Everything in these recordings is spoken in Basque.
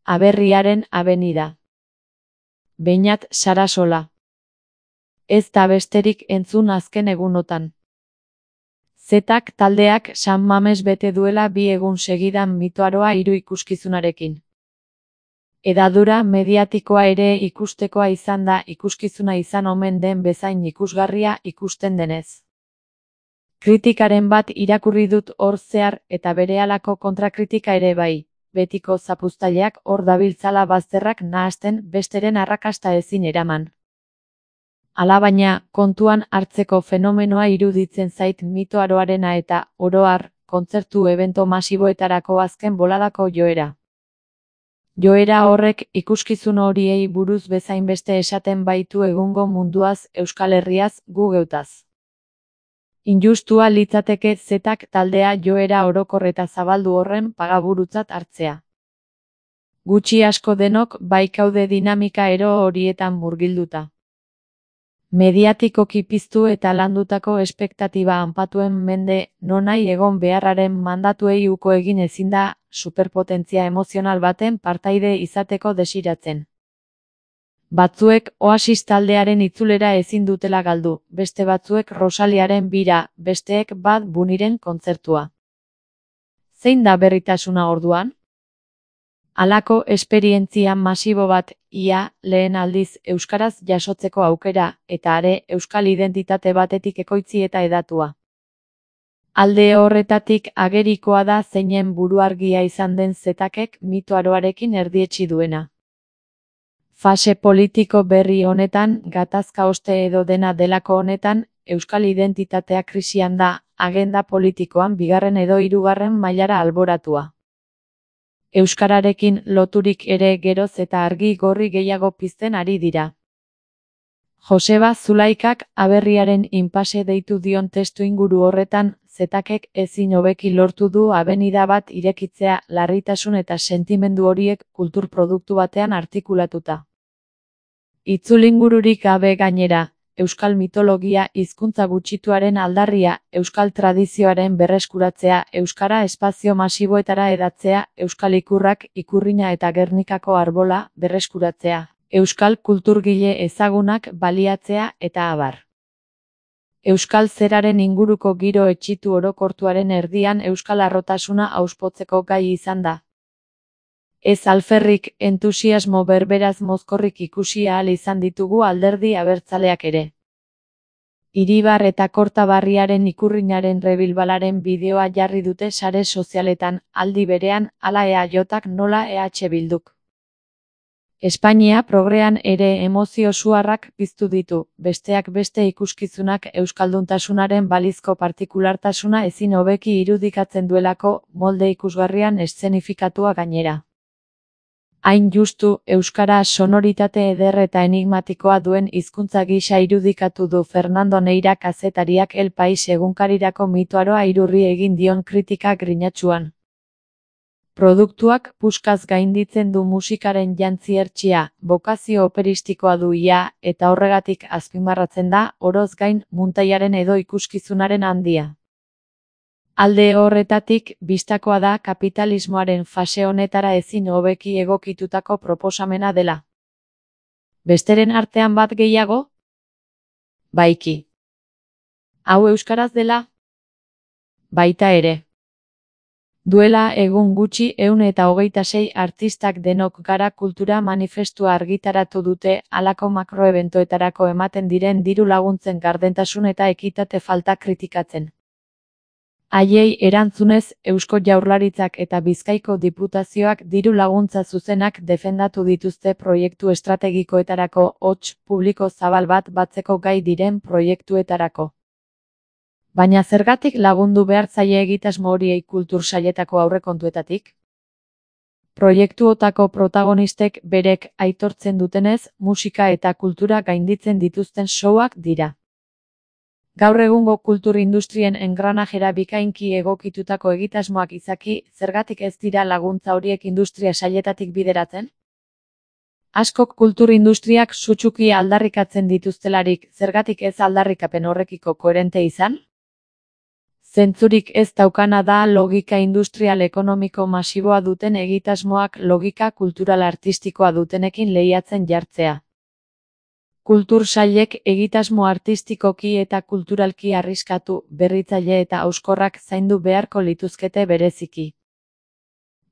Aberriaren abenida. Beñat Sarasola. Ez da besterik entzun azken egunotan. Zetak taldeak San Mames bete duela 2 egun segidan mitoaroa 3 ikuskizunarekin. Hedadura mediatikoa ere ikustekoa izan da ikuskizuna izan omen den bezain ikusgarria ikusten denez. Kritikaren bat irakurri dut hor zehar eta berehalako kontrakritika ere bai, betiko zapuztaileak hor dabiltzala bazterrak nahasten besteren arrakasta ezin eraman. Alabaina, kontuan hartzeko fenomenoa iruditzen zait mitoaroarena eta, oro har, kontzertu ebento masiboetarako azken boladako joera. Joera horrek ikuskizun horiei buruz bezain beste esaten baitu egungo munduaz, Euskal Herriaz, gu geutaz. Injustua litzateke zetak taldea joera orokor eta zabaldu horren pagaburutzat hartzea. Gutxi asko denok baikaude dinamika ero horietan murgilduta. Mediatikoki piztu eta landutako espektatiba hanpatuen mende nonai egon beharraren mandatuei uko egin ezin da superpotentzia emozional baten partaide izateko desiratzen. Batzuek Oasis taldearen itzulera ezin dutela galdu, beste batzuek Rosaliaren bira, besteek Bad Bunnyren kontzertua. Zein da berritasuna orduan? Halako esperientzia masibo bat, ia, lehen aldiz euskaraz jasotzeko aukera, eta are euskal identitate batetik ekoitzi eta edatua. Alde horretatik agerikoa da zeinen buruargia izan den zetakek mitoaroarekin erdietsi duena. Fase politiko berri honetan, gatazka oste edo dena delako honetan, euskal identitatea krisian da, agenda politikoan 2. edo 3. mailara alboratua. Euskararekin loturik ere geroz eta argi gorri gehiago pizten ari dira. Joseba Zulaikak aberriaren inpase deitu dion testuinguru horretan, zetakek ezin hobeki lortu du abenida bat irekitzea larritasun eta sentimendu horiek kultur produktu batean artikulatuta. Itzulingururik gabe gainera, euskal mitologia hizkuntza gutxituaren aldarria, euskal tradizioaren berreskuratzea, euskara espazio masiboetara edatzea, euskal ikurrak, ikurrina eta Gernikako arbola berreskuratzea, euskal kulturgile ezagunak baliatzea eta abar. Euskal zeraren inguruko giro etxitu orokortuaren erdian euskal harrotasuna auspotzeko gai izan da. Ez alferrik, entusiasmo berberaz mozkorrik ikusi ahal izan ditugu alderdi abertzaleak ere. Iribar eta Kortabarriaren ikurrinaren rebilbalaren bideoa jarri dute sare sozialetan, aldi berean, hala EAJak nola EH Bilduk. Espainia progrean ere emozio suarrak piztu ditu, besteak beste ikuskizunak euskalduntasunaren balizko partikulartasuna ezin hobeki irudikatzen duelako, molde ikusgarrian eszenifikatua gainera. Hain justu, euskara sonoritate eder eta enigmatikoa duen hizkuntza gisa irudikatu du Fernando Neira kazetariak El País egunkarirako mitoaroa irurri egin dion kritika grinatsuan. Produktuak puskaz gainditzen du musikaren jantzi hertsia, bokazio operistikoa du ia, eta horregatik azpimarratzen da, oroz gain, muntaiaren edo ikuskizunaren handia. Alde horretatik, bistakoa da kapitalismoaren fase honetara ezin hobeki egokitutako proposamena dela. Besteren artean bat gehiago? Baiki. Hau euskaraz dela? Baita ere. Duela egun gutxi 126 artistak denok gara kultura manifestua argitaratu dute halako makroebentoetarako ematen diren diru laguntzen gardentasun eta ekitate falta kritikatzen. Haiei erantzunez, Eusko Jaurlaritzak eta Bizkaiko Diputazioak diru laguntza zuzenak defendatu dituzte proiektu estrategikoetarako hots publiko zabal bat batzeko gai diren proiektuetarako. Baina zergatik lagundu behar zaie egitasmo horiei kultur sailetako aurrekontuetatik? Proiektuotako protagonistek berek aitortzen dutenez, musika eta kultura gainditzen dituzten showak dira. Gaur egungo kultur industrien engranajera bikainki egokitutako egitasmoak izaki, zergatik ez dira laguntza horiek industria sailetatik bideratzen? Askok kultur industriak sutsuki aldarrikatzen dituztelarik, zergatik ez aldarrikapen horrekiko koherente izan? Zentzurik ez daukana da logika industrial ekonomiko masiboa duten egitasmoak logika kultural artistikoa dutenekin lehiatzen jartzea. Kultur sailek egitasmo artistikoki eta kulturalki arriskatu, berritzaile eta hauskorrak zaindu beharko lituzkete bereziki.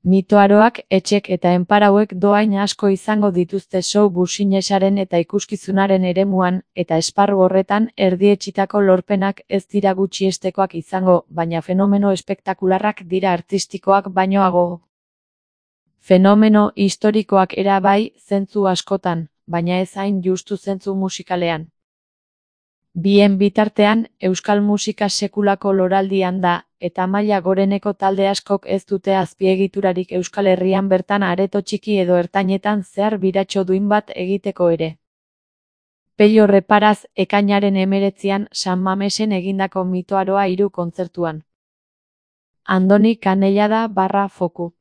Mitoaroak, etxek eta enparauek dohain asko izango dituzte show businesaren eta ikuskizunaren eremuan, eta esparru horretan erdietsitako lorpenak ez dira gutxiestekoak izango, baina fenomeno espektakularrak dira artistikoak bainoago. Fenomeno historikoak era bai, zentzu askotan, baina ez hain justu zentzu musikalean. Bien bitartean, euskal musika sekulako loraldian da, eta maila goreneko talde askok ez dute azpiegiturarik Euskal Herrian bertan areto txiki edo ertainetan zehar biratxo duin bat egiteko ere. Pello Reparaz, ekainaren 19an San Mamesen egindako Mitoaroa 3 kontzertuan. Andoni Canellada / Foku.